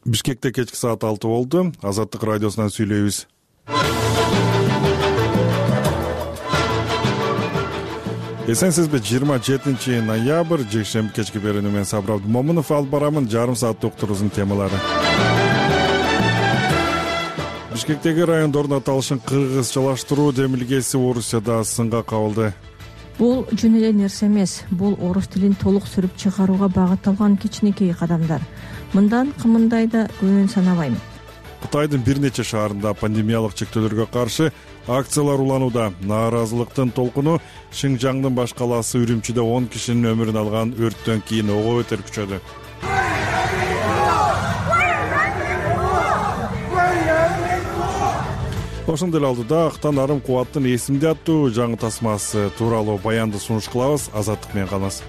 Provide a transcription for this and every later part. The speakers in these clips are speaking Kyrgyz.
Бишкекте кечки саат 6 болду. Азаттык радиосунан сүйлөйбүз. Эсенсизби? 27 ноябрь жекшемби кечки берүүнү мен Сабыр Абдымомунов алып барамын. Жарым сааттык уктурубуздун темалары. Бишкектеги райондордун аталышын кыргызчалаштыруу демилгеси Орусияда сынга кабылды. Бул жөн эле нерсе эмес. Бул орус тилин толук сүрүп чыгарууга багытталган кичинекей кадамдар. Мындан кымындайды көбүн санабайм. Кытайдын бир нече шаарында пандемиялык чектөөлөргө каршы акциялар уланууда. Нааразылыктын толкуну Шинжаңдын баш калаасы Үрүмчүдө 10 кишинин өмүрүн алган өрттөн кийин ого бетер күчөдү. Ошондой эле алдыда Актан арым кубаттын эсимде аттуу жаңы тасмасы тууралуу баянды сунуш кылабыз. Азаттык менен калыңыз.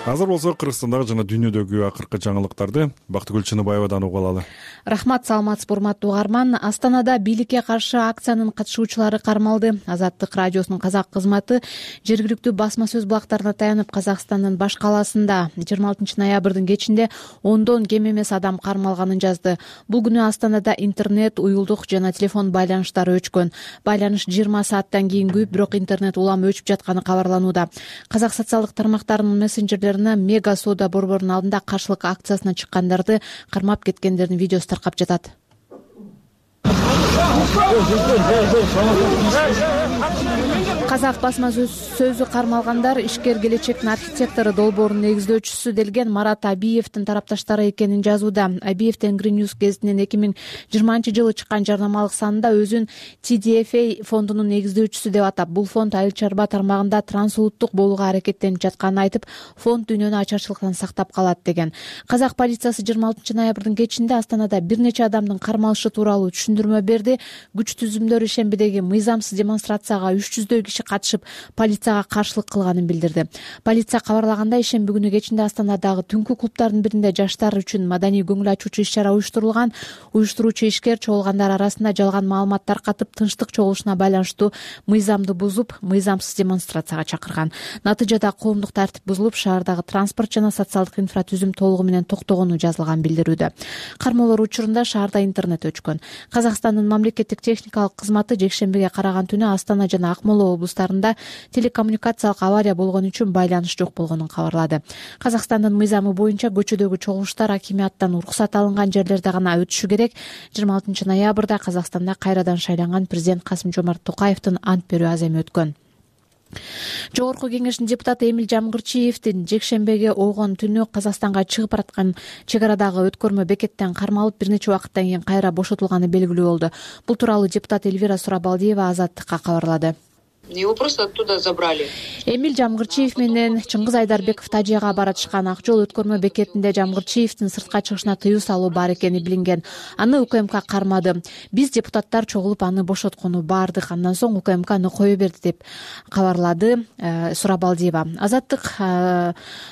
Азыр болсо Кыргызстандагы жана дүйнөдөгү акыркы жаңылыктарды Бактыгүл Чыныбаевадан угуп алалы. Рахмат, саламатсызбы урматтуу угарман. Астанада бийликке каршы акциянын катышуучулары кармалды. Азаттык радиосунун казак кызматы жергиликтүү басма сөз булактарына таянып Казакстандын баш калаасында 26 ноябрдын кечинде ондон кем эмес адам кармалганын жазды. Бул күнү Астанада интернет, уюлдук жана телефон байланыштары өчкөн. Байланыш 20 сааттан кийин күйүп, бирок интернет улам өчүп жатканы кабарланууда. Казак социалдык тармактарынын мессенджерлери Мега соода борборунун алдында каршылык акциясына чыккандарды кармап кеткендердин видеосу таркап жатат. Казак басма сөзү кармалгандар ишкер келечектин архитектору, долбоордун негиздөөчүсү делген Марат Абиевдин тарапташтары экенин жазууда. Абиев Тенгри Ньюс гезитинин 2020-жылы чыккан жарнамалык санында өзүн TDFA фондунун негиздөөчүсү деп атап, бул фонд айыл чарба тармагында трансулуттук болууга аракеттенип жатканын айтып, фонд дүйнөнү ачарчылыктан сактап калат деген. Казак полициясы 26 ноябрдын кечинде Астанада бир нече адамдын кармалышы тууралуу түшүндүрмө берди. Күч түзүмдөр ишембидеги мыйзамсыз демонстрацияга 300дөй киши катышып, полицияга каршылык кылганын билдирди. Полиция кабарлагандай, ишемби күнү кечинде Астанадагы түнкү клубдардын биринде жаштар үчүн маданий көңүл ачуучу иш-чара уюштурулган. Уюштуруучу ишкер чогулгандар арасында жалган маалымат таркатып, тынчтык чогулушуна байланыштуу мыйзамды бузуп, мыйзамсыз демонстрацияга чакырган. Натыйжада коомдук тартип бузулуп, шаардагы транспорт жана социалдык инфратүзүм толугу менен токтогону жазылган билдирүүдө. Кармоолор учурунда шаарда интернет өчкөн. Казакстандын мамлекеттик техникалык кызматы жекшембиге караган түнү Астана жана Акмола облустарында телекоммуникациялык авария болгон үчүн байланыш жок болгонун кабарлады. Казакстандын мыйзамы боюнча көчөдөгү чогулуштар акимияттан уруксат алынган жерлерде гана өтүшү керек. 26 ноябрда Казакстанда кайрадан шайланган президент Касым-Жомарт Токаевдин ант берүү аземи өткөн. Жогорку кеңештин депутаты Эмил Жамгырчиевдин жекшембиге ойгон түнү Казакстанга чыгып бараткан чек арадагы өткөрмө бекеттен кармалып, бир нече убакыттан кийин кайра бошотулганы белгилүү болду. Бул тууралуу депутат Эльвира Сурабалдиева Азаттыкка кабарлады. Его просто оттуда забрали. Эмил Жамгырчиев менен Чыңгыз Айдарбеков Тажияга баратышкан. Ак жол өткөрмө бекетинде Жамгырчиевдин сыртка чыгышына тыюу салуу бар экени билинген. Аны УКМК кармады. Биз депутаттар чогулуп аны бошоткону бардык. Андан соң УКМК аны кое берди деп кабарлады Сурабалдиева. Азаттык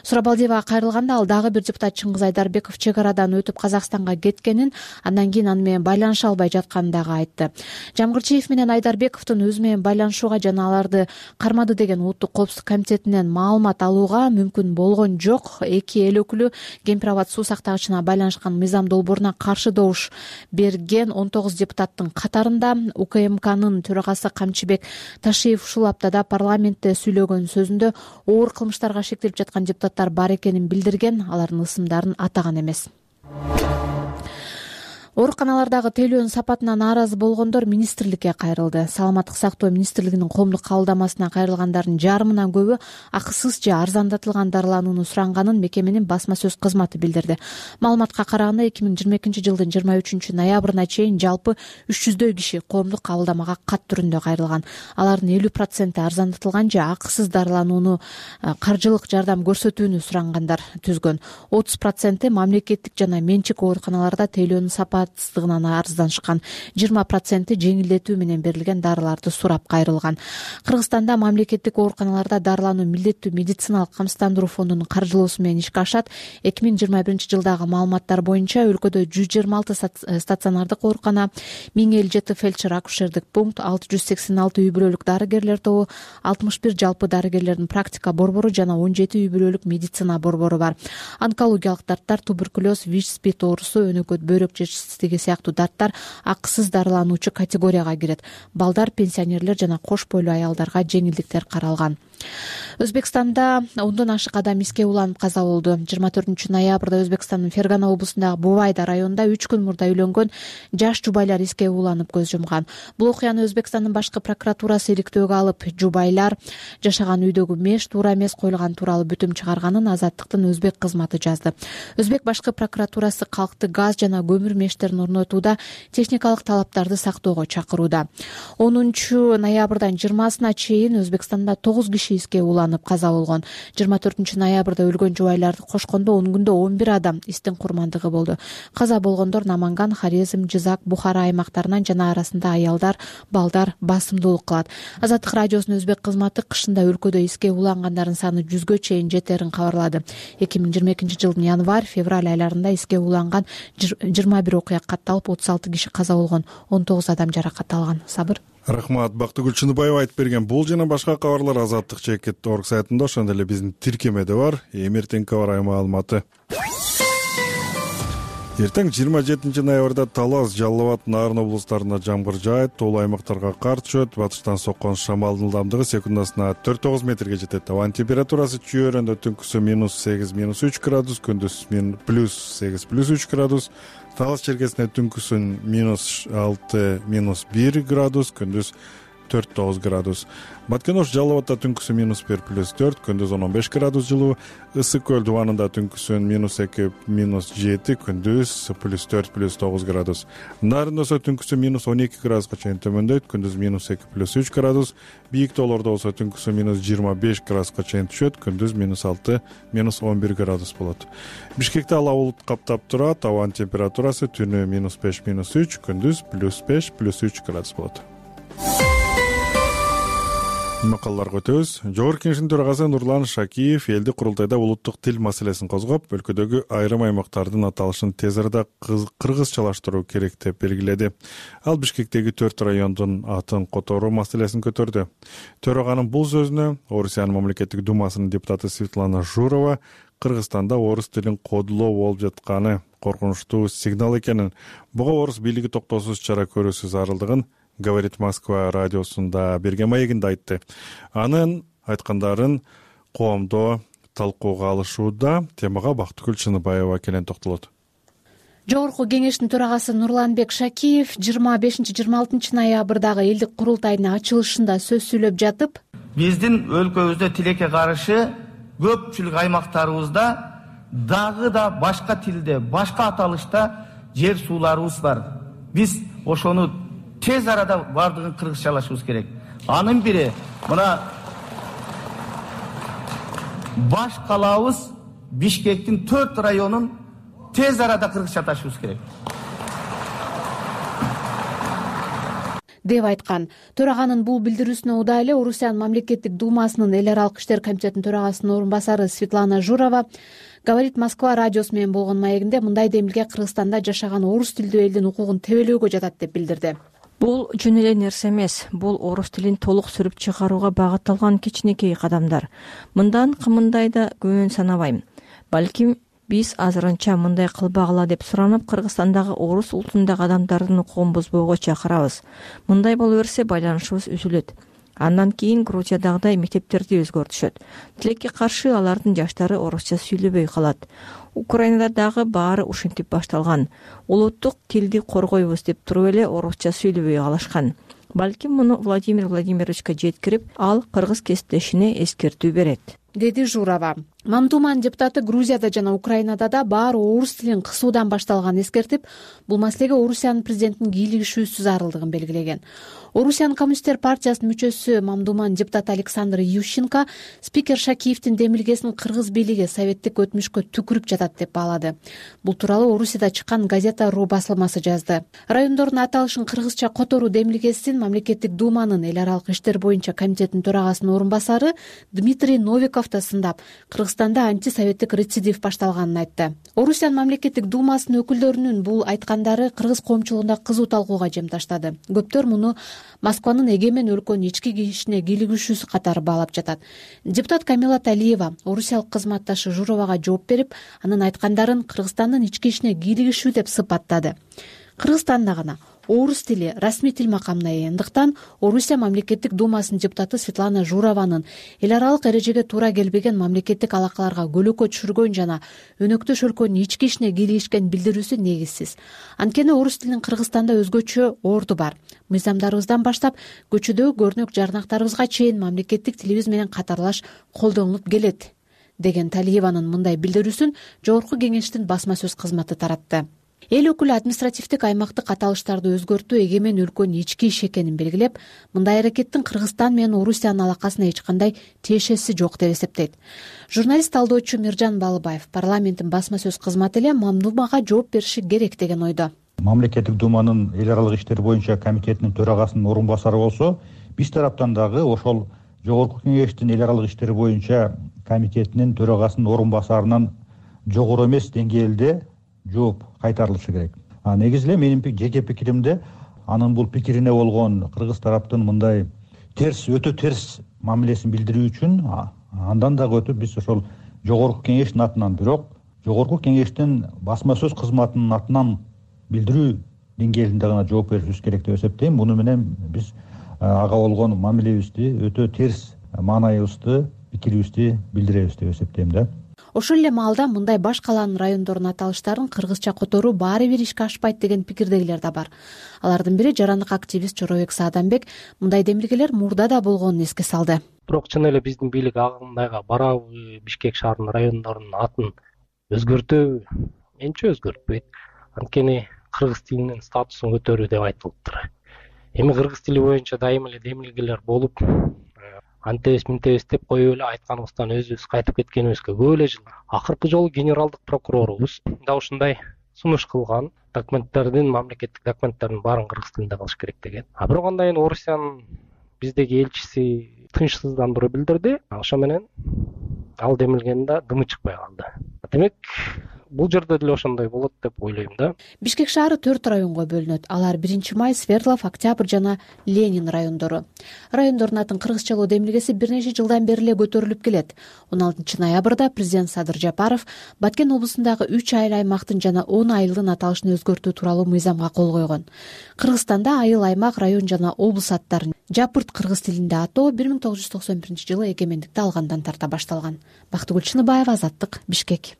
Сурабалдиевага кайрылганда ал дагы бир депутат Чыңгыз Айдарбеков чек арадан өтүп Казакстанга кеткенин, андан кийин аны менен байланыша албай жатканын дагы айтты. Жамгырчиев менен Айдарбековдун өзү менен байланышууга жана аларды кармады деген Улуттук коопсуздук комитетинен маалымат алууга мүмкүн болгон жок. Эки эл өкүлү Кемпир абад суу сактагычына байланышкан мыйзам долбооруна каршы добуш берген 19 депутаттын катарында. УКМКнын төрагасы Камчыбек Ташиев ушул аптада парламентте сүйлөгөн сөзүндө оор кылмыштарга шектелип жаткан депутаттар бар экенин билдирген. Алардын ысымдарын атаган эмес. Ооруканалардагы тейлөөнүн сапатына нааразы болгондор министрликке кайрылды. Саламаттык сактоо министрлигинин коомдук кабылдамасына кайрылгандардын жарымынан көбү акысыз же арзандатылган дарыланууну суранганын мекеменин басма сөз кызматы билдирди. Маалыматка караганда 2022-жылдын 23 ноябрына чейин жалпы 300дөй киши коомдук кабылдамага кат түрүндө кайрылган. Алардын 50% арзандатылган же акысыз дарыланууну каржылык жардам көрсөтүүнү сурангандар түзгөн. 30% мамлекеттик жана менчик ооруканаларда тейлөөнүн сапаты ыкматсыздыгынан арызданышкан. 20% жеңилдетүү менен берилген дарыларды сурап кайрылган. Кыргызстанда мамлекеттик ооруканаларда дарылануу милдеттүү медициналык камсыздандыруу фондунун каржылоосу менен ишке ашат. 2021-жылдагы маалыматтар боюнча өлкөдө 126 стационардык оорукана, 1057 фельдшер-акушердик пункт, 686 үй бүлөлүк дарыгерлер тобу, 61 жалпы дарыгерлердин практика борбору жана 17 үй бүлөлүк медицина борбору бар. Онкологиялык дарттар, туберкулез, ВИЧ-СПИД оорусу, өнөкөт бөйрөк жетишсиздиги сыяктуу дарттар акысыз дарылануучу категорияга кирет. Балдар, пенсионерлер жана кош бойлуу аялдарга жеңилдиктер каралган. Өзбекстанда 10дон ашык адам иске уланып каза болду. 24-ноябрда Өзбекстандын Фергана облусундагы Бувайда районунда 3 күн мурда үйлөнгөн жаш жубайлар иске уланып көз жумган. Бул окуяны Өзбекстандын башкы прокуратурасы иликтөөгө алып, жубайлар жашаган үйдөгү меш туура эмес коюлган тууралуу бүтүм чыгарганын Азаттыктын өзбек кызматы жазды. Өзбек башкы прокуратурасы калкты газ жана көмүр мештерин орнотууда техникалык талаптарды сактоого чакырууда. 10-ноябрдан 20-сына чейин Өзбекстанда 9 киши иске уланып каза болгон. 24-ноябрда өлгөн жубайларды кошкондо 10 күндө 11 адам истин курмандыгы болду. Каза болгондор Наманган, Хорезм, Жизак, Бухара аймактарынан жана арасында аялдар, балдар басымдуулук кылат. Азаттык радиосунун өзбек кызматы кышында өлкөдө иске улангандардын саны 100гө чейин жетерин кабарлады. 2022-жылдын январь-февраль айларында иске уланган 21 окуя катталып, 36 киши каза болгон, 19 адам жаракат алган. Сабыр. Рахмат. Бактыгүл Чыныбаева айтып берген бул жана башка кабарлар Азаттык @org сайтында, ошондой эле биздин тиркемеде бар. Эртеңки кабар маалыматы. Эртең 27-ноябрда Талас, Жалал Абад, Нарын облустарында жамгыр жаайт, тоолуу аймактарга кар түшөт. Батыштан соккон шамалдын ылдамдыгы секундасына 4-9 метрге жетет. Абанын температурасы чүйөрөндө түнкүсү -8 -3 градус, күндүз +8 +3 градус. Талас чергесинде түнкүсүн -6 -1 градус, күндүз 4-9 градус. Баткенош, Жалал Абадта түнкүсү -1 +4, күндүз 15 градус жылуу. Ысык көл дубанында түнкүсүн -2 -7, күндүз +4 +9 градус. Нарында болсо түнкүсү -12 градуска чейин төмөндөйт, күндүз -2 +3 градус. Бийик тоолордо болсо түнкүсү -25 градуска чейин түшөт, күндүз -6 -11 градус болот. Бишкекте ала булут каптап турат, абанын температурасы түнү -5 -3, күндүз +5 +3 градус болот. Макалларга өтөбүз. Жогорку Кеңештин төрагасы Нурлан Шакиев элдик курултайда улуттук тил маселесин козгоп, өлкөдөгү айрым аймактардын аталышын тез арада кыргызчалаштыруу керек деп белгиледи. Ал Бишкектеги 4 райондун атын которуу маселесин көтөрдү. Төраганын бул сөзүнө Орусиянын мамлекеттик думасынын депутаты Светлана Журова Кыргызстанда орус тилин кодулоо болуп жатканы коркунучтуу сигнал экенин, буга орус бийлиги токтоосуз чара көрүүсү зарылдыгын Говорит Москва радиосунда берген маегинде айтты. Анын айткандарын коомдо талкууга алышууда. Темага Бактыгүл Чыныбаева келен токтолот. Жогорку Кеңештин төрагасы Нурланбек Шакиев 25-26 ноябрдагы элдик курултайдын ачылышында сөз сүйлөп жатып, биздин өлкөбүздө тилекке каршы көпчүлүк аймактарыбызда дагы да башка тилде, башка аталышта жер сууларыбыз бар. Биз ошону тез арада бардыгын кыргызчалашыбыз керек. Анын бири мына баш калаабыз Бишкектин 4 районун тез арада кыргызчаташыбыз керек деп айткан. Төраганын бул билдирүүсүнө удаа эле Орусиянын мамлекеттик думасынын эл аралык иштер комитетинин төрагасынын орун басары Светлана Журова Говорит Москва радиосу менен болгон маегинде мындай демилге Кыргызстанда жашаган орус тилдүү элдин укугун тебелөөгө жатат деп билдирди. Бул жөн эле нерсе эмес. Бул орус тилин толук сүрүп чыгарууга багытталган кичинекей кадамдар. Мындан кымындай да көбүн санабайм. Балким биз азырынча мындай кылбагыла деп суранып, Кыргызстандагы орус улутундагы адамдардын укугун бузбоого чакырабыз. Мындай боло берсе байланышыбыз үзүлөт. Андан кийин Грузиядагыдай мектептерди өзгөртүшөт. Тилекке каршы алардын жаштары орусча сүйлөбөй калат. Украинада дагы баары ушинтип башталган. Улуттук тилди коргойбуз деп туруп эле орусча сүйлөбөй калышкан. Балким муну Владимир Владимировичке жеткирип, ал кыргыз кесиптешине эскертүү берет. деди Журова. Мамдуманын депутаты Грузияда жана Украинада да баары орус тилин кысуудан башталганын эскертип, бул маселеге Орусиянын президентинин кийлигишүүсүз зарылдыгын белгилеген. Орусиянын коммунисттер партиясынын мүчөсү Мамдуманын депутаты Александр Ющенко спикер Шакиевдин демилгесин кыргыз бийлиги советтик өтмүшкө түкүрүп жатат деп баалады. Бул тууралуу Орусияда чыккан газета.ру басылмасы жазды. Райондордун аталышын кыргызча которуу демилгесин мамлекеттик думанын эл аралык иштер боюнча комитетинин төрагасынын орун басары Дмитрий Новиков да сындап, Кыргызстанда антисоветтик рецидив башталганын айтты. Орусиянын мамлекеттик думасынын өкүлдөрүнүн бул айткандары кыргыз коомчулугунда кызуу талкууга жем таштады. Көптөр муну Москванын эгемен өлкөнүн ички ишине кийлигишүүсү катары баалап жатат. Депутат Камила Талиева орусиялык кызматташы Журовага жооп берип, анын айткандарын Кыргызстандын ички ишине кийлигишүү деп сыпаттады. Кыргызстанда гана орус тили расмий тил макамына ээ. Андыктан Орусия мамлекеттик думасынын депутаты Светлана Журованын эл аралык эрежеге туура келбеген мамлекеттик алакаларга көлөкө түшүргөн жана өнөктөш өлкөнүн ички ишине кийлигишкен билдирүүсү негизсиз. Анткени орус тилинин Кыргызстанда өзгөчө орду бар. Мыйзамдарыбыздан баштап көчөдөгү көрнөк жарнактарыбызга чейин мамлекеттик тилибиз менен катарлаш колдонулуп келет, деген Талиеванын мындай билдирүүсүн Жогорку Кеңештин басма сөз кызматы таратты. Эл өкүлү административдик аймактык аталыштарды өзгөртүү эгемен өлкөнүн ички иши экенин белгилеп, мындай аракеттин Кыргызстан менен Орусиянын алакасына эч кандай тиешеси жок деп эсептейт. Журналист талдоочу Миржан Балыбаев парламенттин басма сөз кызматы эле Мамдумага жооп бериши керек деген ойдо. Мамлекеттик думанын эл аралык иштер боюнча комитетинин төрагасынын орун басары болсо, биз тараптан дагы ошол Жогорку Кеңештин эл аралык иштер боюнча комитетинин төрагасынын орун басарынан жогору эмес деңгээлде жооп кайтарылышы керек. Негизи эле менин жеке пикиримде анын бул пикирине болгон кыргыз тараптын мындай өтө терс мамилесин билдирүү үчүн андан дагы өтүп биз ошол Жогорку Кеңештин атынан, бирок Жогорку Кеңештин басма сөз кызматынын атынан билдирүү деңгээлинде гана жооп беришибиз керек деп эсептейм. Муну менен биз ага болгон мамилебизди, өтө терс маанайыбызды, пикирибизди билдиребиз деп эсептейм да. Ошол эле маалда мындай баш калаанын райондорунун аталыштарын кыргызча которуу баары бир ишке ашпайт деген пикирдегилер да бар. Алардын бири жарандык активист Жоробек Сааданбек мындай демилгелер мурда да болгонун эске салды. Бирок чын эле биздин бийлик агымдайга барабы Бишкек шаарынын райондорунун атын өзгөртөбү? Менче өзгөртпөйт. Анткени кыргыз тилинин статусун көтөрүү деп айтылыптыр. Эми кыргыз тили боюнча дайыма эле демилгелер болуп, антебиз минтебиз деп коюп эле айтканыбыздан өзүбүз кайтып кеткенибизге көп эле жыл. Акыркы жолу генералдык прокурорубуз да ушундай сунуш кылган, мамлекеттик документтердин баарын кыргыз тилинде кылыш керек деген. Бирок андан кийин Орусиянын биздеги элчиси тынчсыздандыруу билдирди. Ошо менен ал демилгенин да дымы чыкпай калды. Демек, бул жерде деле ошондой болот деп ойлойм да. Бишкек шаары 4 районго бөлүнөт. Алар 1-Май, Свердлов, Октябрь жана Ленин райондору. Райондордун атын кыргызчалоо демилгеси бир нече жылдан бери эле көтөрүлүп келет. 16 ноябрда президент Садыр Жапаров Баткен облусундагы 3 айыл аймактын жана 10 айылдын аталышын өзгөртүү тууралуу мыйзамга кол койгон. Кыргызстанда айыл, аймак, район жана облус аттарын жапырт кыргыз тилинде атоо 1991-жылы эгемендикти алгандан тарта башталган. Бактыгүл Чыныбаева, Азаттык, Бишкек.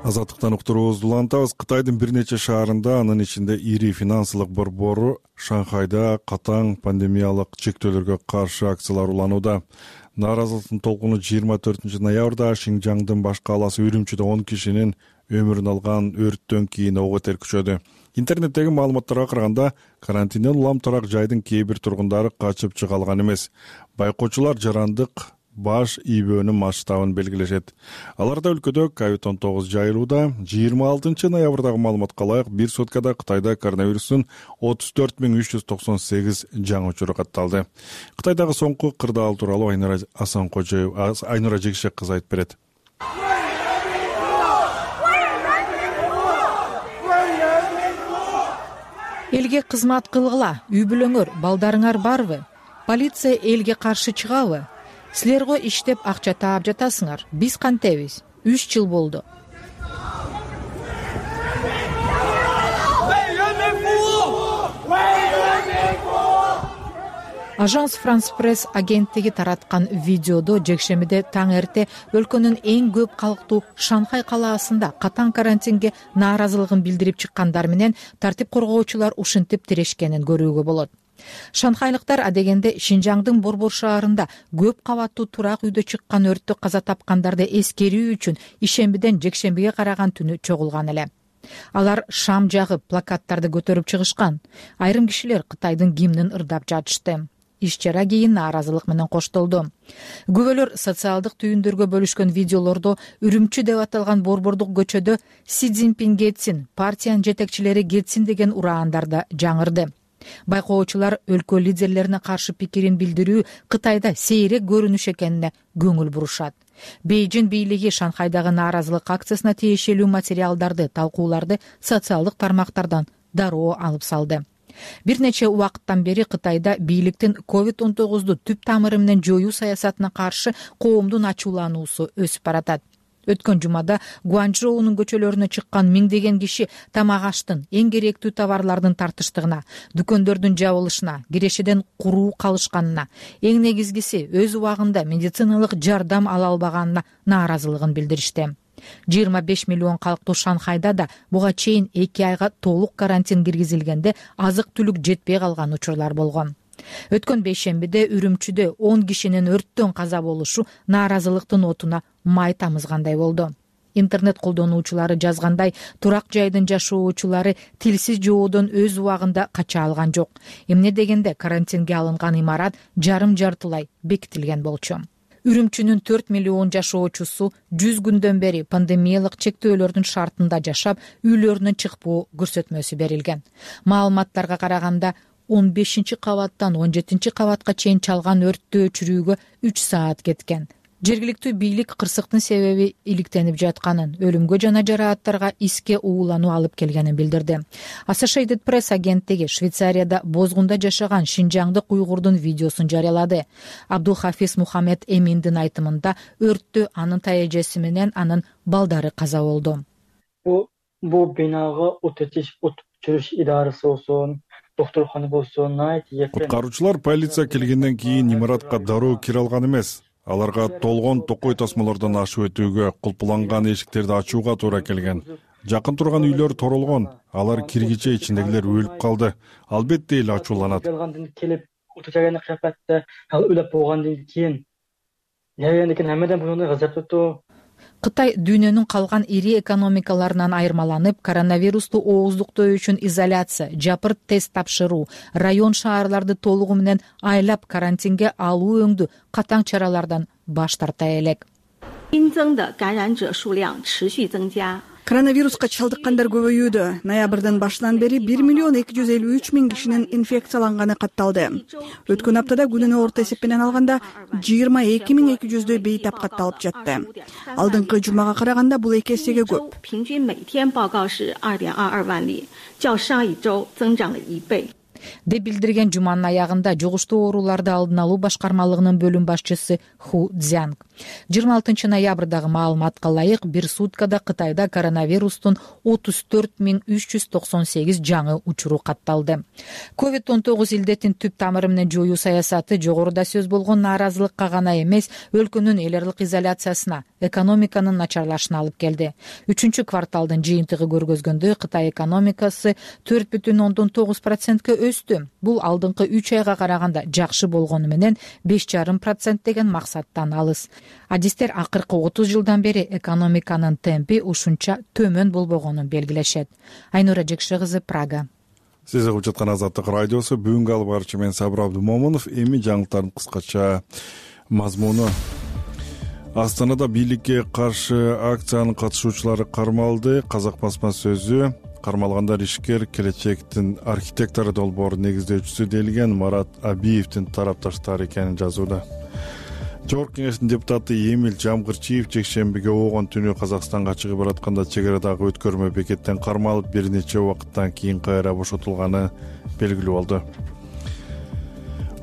Азаттыктан уктуруубузду улантабыз. Кытайдын бир нече шаарында, анын ичинде ири финансылык борбору Шанхайда катаң пандемиялык чектөөлөргө каршы акциялар уланууда. Нааразылыктын толкуну 24 ноябрда Шинжаңдын баш кааласы Үрүмчүдө 10 кишинин өмүрүн алган өрттөн кийин ого бетер күчөдү. Интернеттеги маалыматтарга караганда, карантинден улам тарак жайдын кээ бир тургундары качып чыга алган эмес. Байкоочулар жарандык баш ийбөөнүн масштабын белгилешет. Аларда өлкөдө COVID-19 жайылууда. 26 ноябрдагы маалыматка ылайык, бир суткада Кытайда коронавирустун 34.398 жаңы учуру катталды. Кытайдагы соңку кырдаал тууралуу Айнура Жекшек кызы айтып берет. Элге кызмат кылгыла, үй бүлөңөр, балдарыңар барбы? Полиция элге каршы чыгабы? Силерго иштеп акча таап жатасыңар. Биз кантебиз? 3 жыл болду. Ажанс Франс Пресс агенттиги тараткан видеодо жекшемиде таң эрте өлкөнүн эң көп калктуу Шанхай калаасында катаң карантинге нааразылыгын билдирип чыккандар менен тартип коргоочулар ушинтип тирешкенин көрүүгө болот. Шанхайлыктар адегенде Шинжаңдын Борбор шаарында көп кабаттуу турак үйдө чыккан өрттө каза тапкандарды эскерүү үчүн ишембиден жекшембиге караган түнү чогулган эле. Алар шам жагып, плакаттарды көтөрүп чыгышкан. Айрым кишилер Кытайдын гимнин ырдап жатышты. Иш-чара кийин нааразылык менен коштолду. Күбөлөр социалдык түйүндөргө бөлүшкөн видеолордо Үрүмчү деп аталган борбордук көчөдө Си Цзиньпин кетсин, партиянын жетекчилери кетсин деген ураандар да жаңырды. Байкоочулар өлкө лидерлерине каршы пикирин билдирүү Кытайда сейрек көрүнүш экенине көңүл бурушат. Бейжин бийлиги Шанхайдагы нааразылык акциясына тиешелүү материалдарды, талкууларды социалдык тармактардан дароо алып салды. Бир нече убакыттан бери Кытайда бийликтин COVID-19 түп тамыры менен жоюу саясатына каршы коомдун ачуулануусу өсүп баратат. Өткөн жумада Гуанчжоунун көчөлөрүнө чыккан миңдеген киши тамак аштын, эң керектүү товарлардын тартыштыгына, дүкөндөрдүн жабылышына, кирешеден куруу калышканына, эң негизгиси өз убагында медициналык жардам ала албаганына нааразылыгын билдиришти. 25 миллион калктуу Шанхайда да буга чейин 2 айга толук карантин киргизилгенде азык-түлүк жетпей калган учурлар болгон. Өткөн бейшембиде Үрүмчүдө 10 кишинин өрттөн каза болушу нааразылыктын отуна май тамызгандай болду. Интернет колдонуучулары жазгандай, турак жайдын жашоочулары тилсиз жоодон өз убагында кача алган жок. Эмне дегенде карантинге алынган имарат жарым-жартылай бекитилген болчу. Үрүмчүнүн 4 миллион жашоочусу 100 күндөн бери пандемиялык чектөөлөрдүн шартында жашап, үйлөрүнөн чыкпоо көрсөтмөсү берилген. Маалыматтарга караганда 15 кабаттан 17 кабатка чейин чалган өрттү өчүрүүгө 3 саат кеткен. Жергиликтүү бийлик кырсыктын себеби иликтенип жатканын, өлүмгө жана жарааттарга иске уулануу алып келгенин билдирди. Associated Press агенттиги Швейцарияда бозгунда жашаган шинжаңдык уйгурдун видеосун жарыялады. Абдулхафиз Мухаммед Эминдин айтымында өрттү анын тайэжеси менен анын балдары каза болду. Бул бинага от өчүрүш идарасы болсун, доктуркана болсун, куткаруучулар полиция келгенден кийин имаратка дароо кире алган эмес. Аларга толгон токой тасмалардан ашып өтүүгө, кулпуланган эшиктерди ачууга туура келген. Жакын турган үйлөр торолгон, алар киргиче ичиндегилер өлүп калды. Албетте эле ачууланат. Келип утучаганы капатты, ал өлүп болгондон кийин хаммадан буну газаптуу. Кытай дүйнөнүн калган ири экономикаларынан айырмаланып, коронавирусту ооздуктоо үчүн изоляция, жапырт тест тапшыруу, район шаарларды толугу менен айлап карантинге алуу өңдүү катаң чаралардан баш тарта элек. Коронавируска чалдыккандар көбөйүүдө. Ноябрдын башынан бери 1 миллион 253 миң кишинин инфекцияланганы катталды. Өткөн аптада күнүнө орто эсеп менен алганда 22.200 бейтап катталып жатты. Алдыңкы жумага караганда бул 2 эсеге көп. деп билдирген жуманын аягында жугуштуу ооруларды алдын алуу башкармалыгынын бөлүм башчысы Ху Цзянг. 26 ноябрдагы маалыматка ылайык бир суткада Кытайда коронавирустун 34.398 жаңы учуру катталды. COVID-19 илдетин түп тамыры менен жоюу саясаты жогоруда сөз болгон нааразылыкка гана эмес, өлкөнүн эл аралык изоляциясына, экономиканын начарлашына алып келди. 3-кварталдын жыйынтыгы көргөзгөндө Кытай экономикасы 4,9%ка өстү. Бул алдыңкы 3 айга караганда жакшы болгону менен 5,5% деген максаттан алыс. Адистер акыркы 30 жылдан бери экономиканын темпи ушунча төмөн болбогонун белгилешет. Айнура Жекше кызы, Прага. Сиз угуп жаткан Азаттык радиосу, бүгүнкү алып барчу мен Сабыр Абдумомунов. Эми жаңылыктардын кыскача мазмуну. Астанада бийликке каршы акциянын катышуучулары кармалды. Казак басма сөзү кармалгандар ишкер келечектин архитектору долбоору негиздөөчүсү делген Марат Абиевдин тарапташтары экенин жазууда. Жогорку кеңештин депутаты Эмил Жамгырчиев жекшембиге оогон түнү Казакстанга чыгып баратканда чек арадагы өткөрмө бекеттен кармалып, бир нече убакыттан кийин кайра бошотулганы белгилүү болду.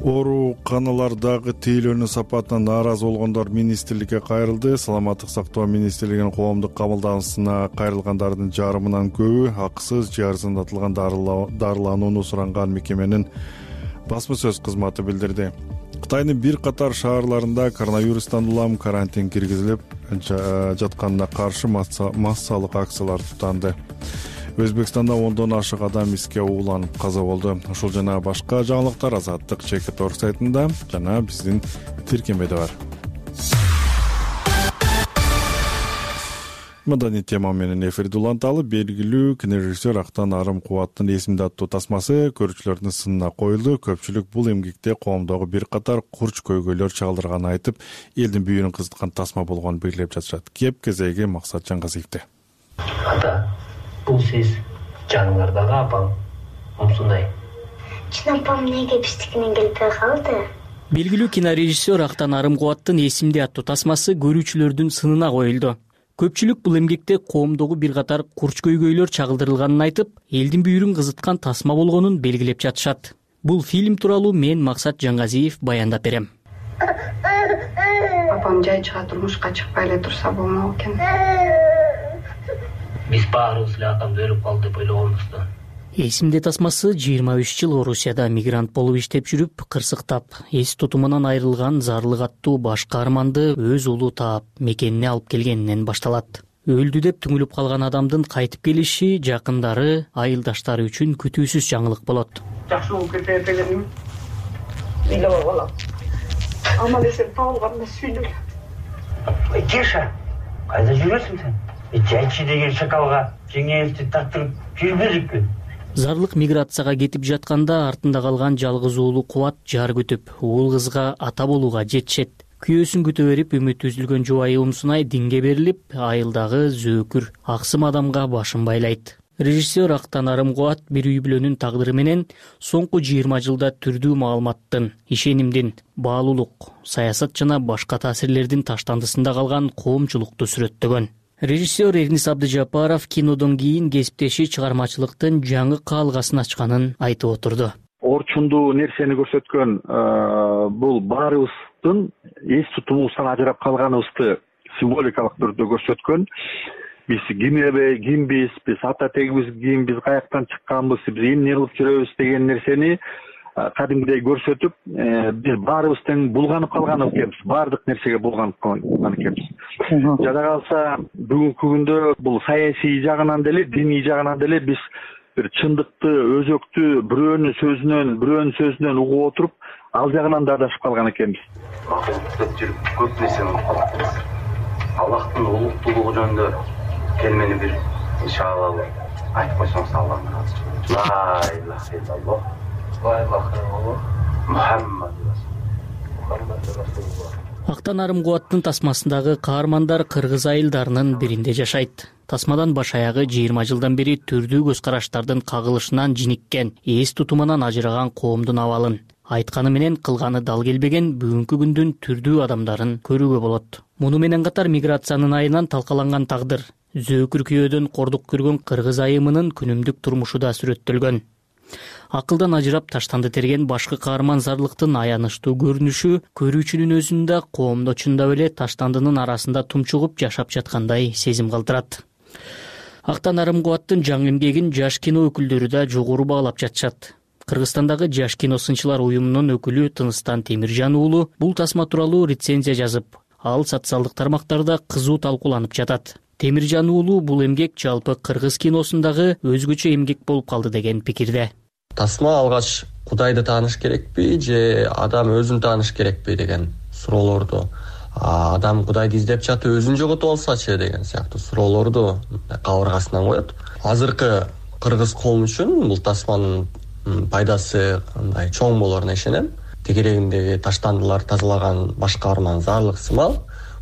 Ооруканалардагы тейлөөнүн сапатына нааразы болгондор министрликке кайрылды. Саламаттык сактоо министрлигинин коомдук кабылданысына кайрылгандардын жарымынан көбү акысыз же арзандатылган дарыланууну суранган мекеменин басма сөз кызматы билдирди. Кытайдын бир катар шаарларында коронавирустан улам карантин киргизилип жатканына каршы массалык акциялар туттанды. Өзбекстанда ондон ашык адам иске ууланып каза болду. Ушул жана башка жаңылыктар Азаттык Чекит.org сайтында жана биздин тиркемеде бар. Маданий тема менен эфирди уланталы. Белгилүү кинорежиссер Актан Арымкубаттын «Эсимде» аттуу тасмасы көрүүчүлөрдүн сынына коюлду. Көпчүлүк бул эмгекте коомдогу бир катар курч көйгөйлөр чагылдырганын айтып, элдин бүйүрүн кызыткан тасма болгонун белгилеп жатышат. Кеп кезеги Максат Жаңгазиевде. Ата, бул сиз жаныңардагы апаң ушундай. Чын апам эмнеге биздикинен келбей калды? Белгилүү кинорежиссер Актан Арымкубаттын «Эсимде» аттуу тасмасы көрүүчүлөрдүн сынына коюлду. Көпчүлүк бул эмгекте коомдогу бир катар курч көйгөйлөр чагылдырылганын айтып, элдин бүйүрүн кызыткан тасма болгонун белгилеп жатышат. Бул фильм тууралуу мен Максат Жаңгазиев баяндап берем. Апам жай чыга турмушка чыкпай эле турса болмок экен. Биз баарыбыз эле атамды өлүп калды деп ойлогонбуз. «Эсимде» тасмасы 23 жыл Орусияда мигрант болуп иштеп жүрүп, кырсыктап, эс тутумунан айрылган Зарлык аттуу баш каарманды өз уулу таап, мекенине алып келгенинен башталат. Өлдү деп түңүлүп калган адамдын кайтып келиши жакындары, айылдаштары үчүн күтүүсүз жаңылык болот. Жакшы болуп кетет дегеним. Бийлеп алам. Аман эсен табылганда сүйлөгө. Кеша, кайда жүрөсүң сен? Жайчы деген шакалга жеңелти тартырып жүрбөдүкпү? Зарлык миграцияга кетип жатканда артында калган жалгыз уулу Кубат жар күтүп, уул кызга ата болууга жетишет. Күйөөсүн күтө берип, үмүтү үзүлгөн жубайы Умсунай динге берилип, айылдагы зөөкүр, аксым адамга башын байлайт. Режиссер Актан Арымкубат бир үй бүлөнүн тагдыры менен соңку 20 жылда түрдүү маалыматтын, ишенимдин, баалуулук, саясат жана башка таасирлердин таштандысында калган коомчулукту сүрөттөгөн. Режиссер Эрнис Абдыжапаров кинодон кийин кесиптеши чыгармачылыктын жаңы каалгасын ачканын айтып отурду. Орчундуу нерсени көрсөткөн бул баарыбыздын эс тутумубуздан ажырап калганыбызды символикалык түрдө көрсөткөн. Биз кимбиз, биз ата тегибиз ким, биз каяктан чыкканбыз, биз эмне кылып жүрөбүз деген нерсени кадимгидей көрсөтүп, биз баарыбыз тең булганып калган экенбиз, баардык нерсеге булганып калган экенбиз. Жада калса бүгүнкү күндө бул саясий жагынан деле, диний жагынан деле биз бир чындыкты, өзөктү бирөөнүн сөзүнөн угуп отуруп, ал жагынан да адашып калган экенбиз. Макулдук жүрүп көп нерсени угуп калабыз. Аллахтын улуктуулугу жөнүндө келмени бир иншалла айтып койсоңуз Аллахтан разы. Ла илаха илlalloh. Ла илаха илlalloh. Мухаммад расулуллах. Актан Арымкубаттын тасмасындагы каармандар кыргыз айылдарынын биринде жашайт. Тасмадан баш аягы 20 жылдан бери түрдүү көз караштардын кагылышынан жиниккен, эс тутумунан ажыраган коомдун абалын, айтканы менен кылганы дал келбеген бүгүнкү күндүн түрдүү адамдарын көрүүгө болот. Муну менен катар миграциянын айынан талкаланган тагдыр, зөөкүр күйөөдөн кордук көргөн кыргыз айымынын күнүмдүк турмушу да сүрөттөлгөн. Акылдан ажырап таштанды терген башкы каарман Зарлыктын аянычтуу көрүнүшү көрүүчүнүн өзүн да коомдо чындап эле таштандынын арасында тумчугуп жашап жаткандай сезим калтырат. Актан Арымкубаттын жаңы эмгегин жаш кино өкүлдөрү да жогору баалап жатышат. Кыргызстандагы жаш кино сынчылар уюмунун өкүлү Тыныстан Темиржан уулу бул тасма тууралуу рецензия жазып, ал социалдык тармактарда кызуу талкууланып жатат. Темиржан уулу бул эмгек жалпы кыргыз киносундагы өзгөчө эмгек болуп калды деген пикирде. Тасма алгач Кудайды тааныш керекпи же адам өзүн тааныш керекпи деген суроолорду, адам Кудайды издеп жатып өзүн жоготуп алсачы деген сыяктуу суроолорду кабыргасынан коет. Азыркы кыргыз коому үчүн бул тасманын пайдасы мындай чоң болоруна ишенем. Тегерегиндеги таштандылар тазалаган баш каарман Зарлык сымал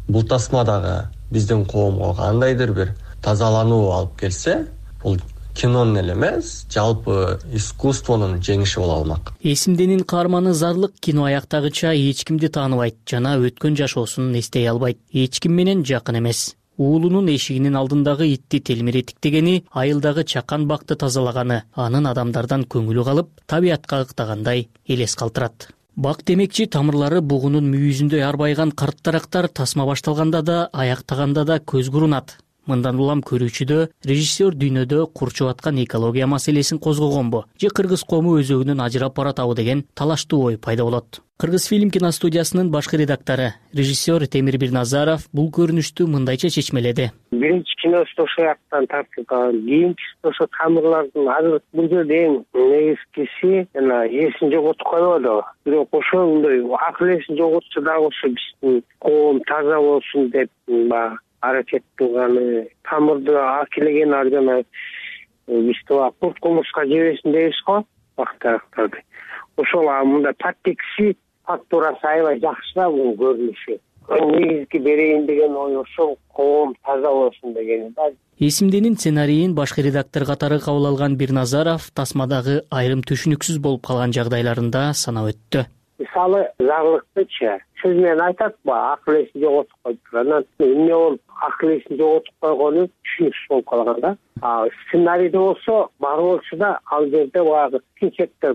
бул тасма дагы биздин коомго кандайдыр бир тазалануу алып келсе, бул кинонун эле эмес, жалпы искусствонун жеңиши боло алмак. Эсимденин каарманы Зарлык кино аяктагыча эч кимди тааныбайт жана өткөн жашоосун эстей албайт. Эч ким менен жакын эмес. Уулунун эшигинин алдындагы итти телмиретиктегени, айылдагы чакан бакты тазалаганы анын адамдардан көңүлү калып, табиятка ыктагандай элес калтырат. Бак демекчи тамырлары бугунун мүйүзүндөй арбайган карт дарактар тасма башталганда да, аяктаганда да көз курунат. Мындан улам көрүүчүдө режиссер дүйнөдө курчуп аткан экология маселесин козгогонбу же кыргыз коому өзөгүнөн ажырап баратабы деген талаштуу ой пайда болот. Кыргыз фильм киностудиясынын башкы редактору, режиссер Темир Бирназаров бул көрүнүштү мындайча чечмеледи. Биринчи киносу ошол жактан тартып калган, кийинкиси ошо тамырлардын азыр бул жерде эң негизгиси жана эсин жоготуп койбоду. Бирок ошол мындай акыл эсин жоготчу дагы ошо биздин коом таза болсун деп баягы аракет кылганы, тамырды акилеген жана бизди курт кумурска жебесин дейбиз го вакыттарды. Ошол мындай подтекси фактурасы аябай жакшы да бунун көрүнүшү. Негизги берейин деген ой ошол, коом таза болсун деген. Эсимденин сценарийин башкы редактор катары кабыл алган Бирназаров тасмадагы айрым түшүнүксүз болуп калган жагдайларында санап өттү. Мисалы, зарлыктычы сөз менен айтатпы, акыл эсин жоготуп коюптур. Анан эмне болуп акыл эсин жоготуп койгону түшүнүксүз болуп калган да. Сценарийде болсо бар болчу да ал жерде баягы кинчектер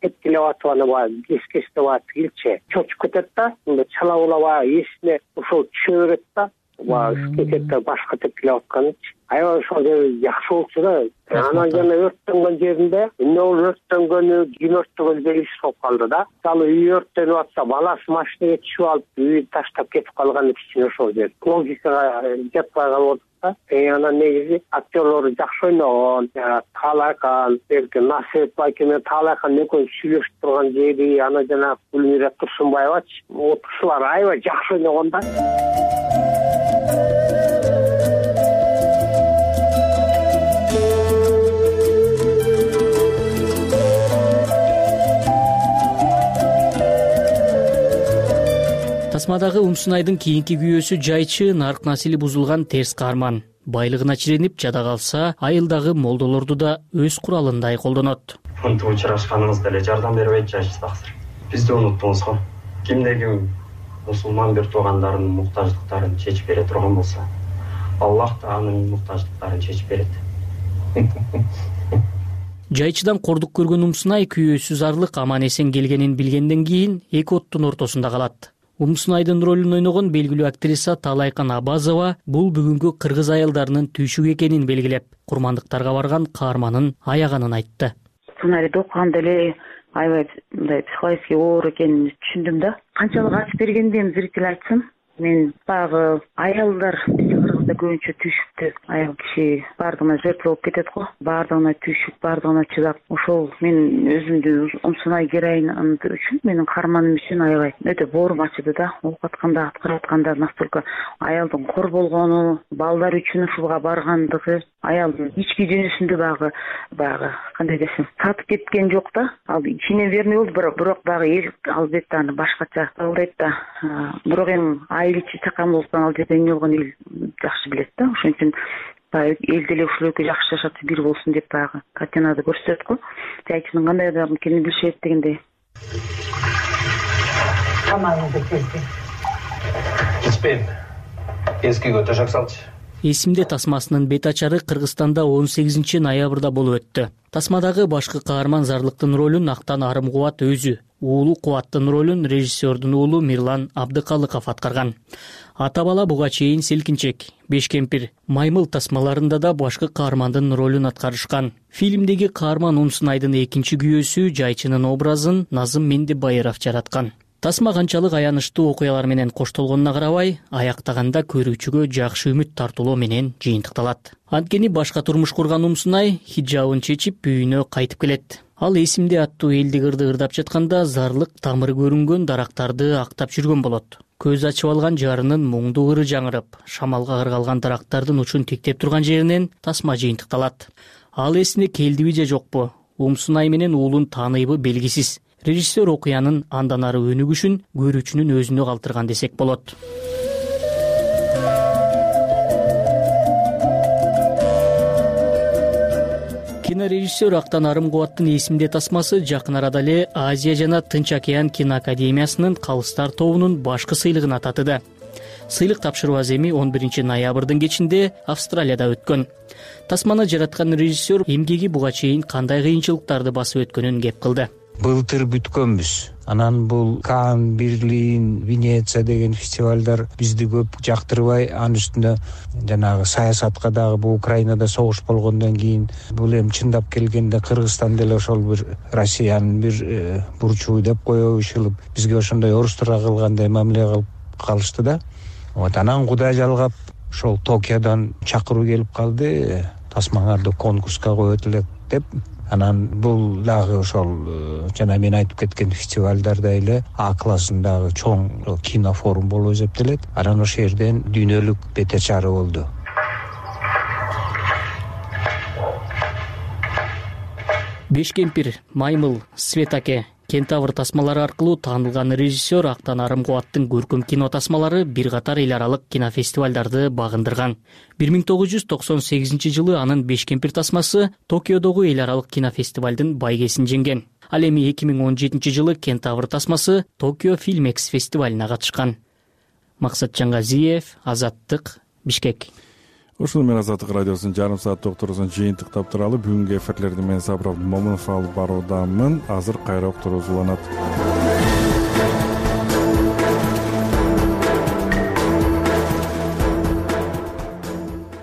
тепкилеп атып аны баягы кескестеп атып килчи чочуп кетет да, мындай чала була баягы эсине ошол түшө берет да, баягы кинчектер башка тепкилеп атканычы. Аябай ошол жери жакшы болчу да. Анан жана өрттөнгөн жеринде эмне болуп өрттөнгөнү, ким өрттөгөнү белгисиз болуп калды да. Мисалы үй өрттөнүп атса, баласы машинага түшүп алып, үйдү таштап кетип калган кичине ошол жер. Логикага жатпай калып да. Анан негизи актерлору жакшы ойногон, Таалайкан, берки Насип байке менен Таалайкан экөөсү сүйлөшүп турган жери, анан жана Гүлмира Турсунбаевачы, ушулар аябай жакшы ойногон да. Тасмадагы Умсунайдын кийинки күйөөсү жайчы, нарк насили бузулган терс каарман. Байлыгына чиренип жада калса, айылдагы молдолорду да өз куралындай колдонот. Мынтип учурашканыңыз деле жардам бербейт жайчы таксыр. Бизди унуттуңуз го. Кимде ким мусулман бир туугандарынын муктаждыктарын чечип бере турган болсо, Аллах да анын муктаждыктарын чечип берет. Жайчыдан кордук көргөн Умсунай күйөөсү зарлык аман эсен келгенин билгенден кийин эки оттун ортосунда калат. Умсунайдын ролун ойногон белгилүү актриса Таалайкан Абазова бул бүгүнкү кыргыз аялдарынын түйшүгү экенин белгилеп, курмандыктарга барган каарманын аяганын айтты. Сценарийди окуганда эле аябай мындай психологический оор экенин түшүндүм да. Канчалык ачып бергенден зритель айтсын, мен баягы аялдар кыргызда көбүнчө түйшүктү аял киши баардыгына жертва болуп кетет го. Баардыгына түйшүк, баардыгына чыдап, ошол мен өзүмдү Умсунай героин үчүн, менин каарманым үчүн аябай өтө боорум ачыды да. Окуп атканда, аткарып атканда настолько аялдын кор болгону, балдар үчүн ушуга баргандыгы, аялдын ички дүйнөсүндө баягы кандай десем, сатып кеткен жок да. Ал ичине верный болду, бирок баягы эл албетте аны башкача кабылдайт да. Бирок эми айыл ичи чакан болсо ал жерде эмне болгонун эл жакшы билет да. Ошон үчүн эл деле ушул экөө жакшы жашап бир болсун деп баягы картинада көрсөтөт го. Жайчынын кандай адам экенин билишет дегендей. Тамагыңызды келди. Ичпейм. Эскиге төшөк салчы. Эсимде тасмасынын бет ачары Кыргызстанда 18 ноябрда болуп өттү. Тасмадагы башкы каарман Зарлыктын ролун Актан Арымкубат өзү, уулу Кубаттын ролун режиссердун уулу Мирлан Абдыкалыков аткарган. Ата бала буга чейин Селкинчек, Беш кемпир, Маймыл тасмаларында да башкы каармандын ролун аткарышкан. Фильмдеги каарман Умсунайдын экинчи күйөөсү жайчынын образын Назым Мендебайыров жараткан. Тасма канчалык аянычтуу окуялар менен коштолгонуна карабай, аяктаганда көрүүчүгө жакшы үмүт тартуулоо менен жыйынтыкталат. Анткени башка турмуш курган Умсунай хиджабын чечип үйүнө кайтып келет. Ал эсимде аттуу элдик ырды ырдап жатканда зарлык тамыры көрүнгөн дарактарды актап жүргөн болот. Көз ачып алган жарынын муңдуу ыры жаңырып, шамалга ыргалган дарактардын учун тиктеп турган жеринен тасма жыйынтыкталат. Ал эсине келдиби же жокпу? Умсунай менен уулун тааныйбы белгисиз. Режиссер окуянын андан ары өнүгүшүн көрүүчүнүн өзүнө калтырган десек болот. Кинорежиссер Актан Арымкубаттын эсимде тасмасы жакын арада эле Азия жана Тынч океан киноакадемиясынын калыстар тобунун башкы сыйлыгына татыды. Сыйлык тапшыруу аземи 11 ноябрдын кечинде Австралияда өткөн. Тасманы жараткан режиссер эмгеги буга чейин кандай кыйынчылыктарды басып өткөнүн кеп кылды. Былтыр бүткөнбүз. Анан бул Кан, Берлин, Венеция деген фестивалдар бизди көп жактырбай, анын үстүнө жанагы саясатка дагы бул Украинада согуш болгондон кийин бул эми чындап келгенде Кыргызстан деле ошол бир Россиянын бир бурчу деп коюшулуп бизге ошондой орустарга кылгандай мамиле кылып калышты да. Анан Кудай жалгап ошол Токиодон чакыруу келип калды, тасмаңарды конкурска коет элек деп. Анан бул дагы ошол жана мен айтып кеткен фестивалдарда эле А классындагы чоң кинофорум болуп эсептелет. Анан ошол жерден дүйнөлүк бете чары болду. Беш кемпир, Маймыл, Светаке, Кентавр тасмалары аркылуу таанылган режиссер Актан Арымкубаттын көркөм кино тасмалары бир катар эл аралык кинофестивалдарды багындырган. 1998 жылы анын Беш кемпир тасмасы Токиодогу эл аралык кинофестивалдын байгесин жеңген. Ал эми 2017 жылы Кентавр тасмасы Токио Фильмекс фестивалына катышкан. Максат Жаңгазиев, Азаттык, Бишкек. Ушул менен Азаттык радиосунун жарым саат уктуруусун жыйынтыктап туралы бүгүнкү эфирлерди мен Сабыр Момунов алып баруудамын. Азыр кайра уктуруу уланат.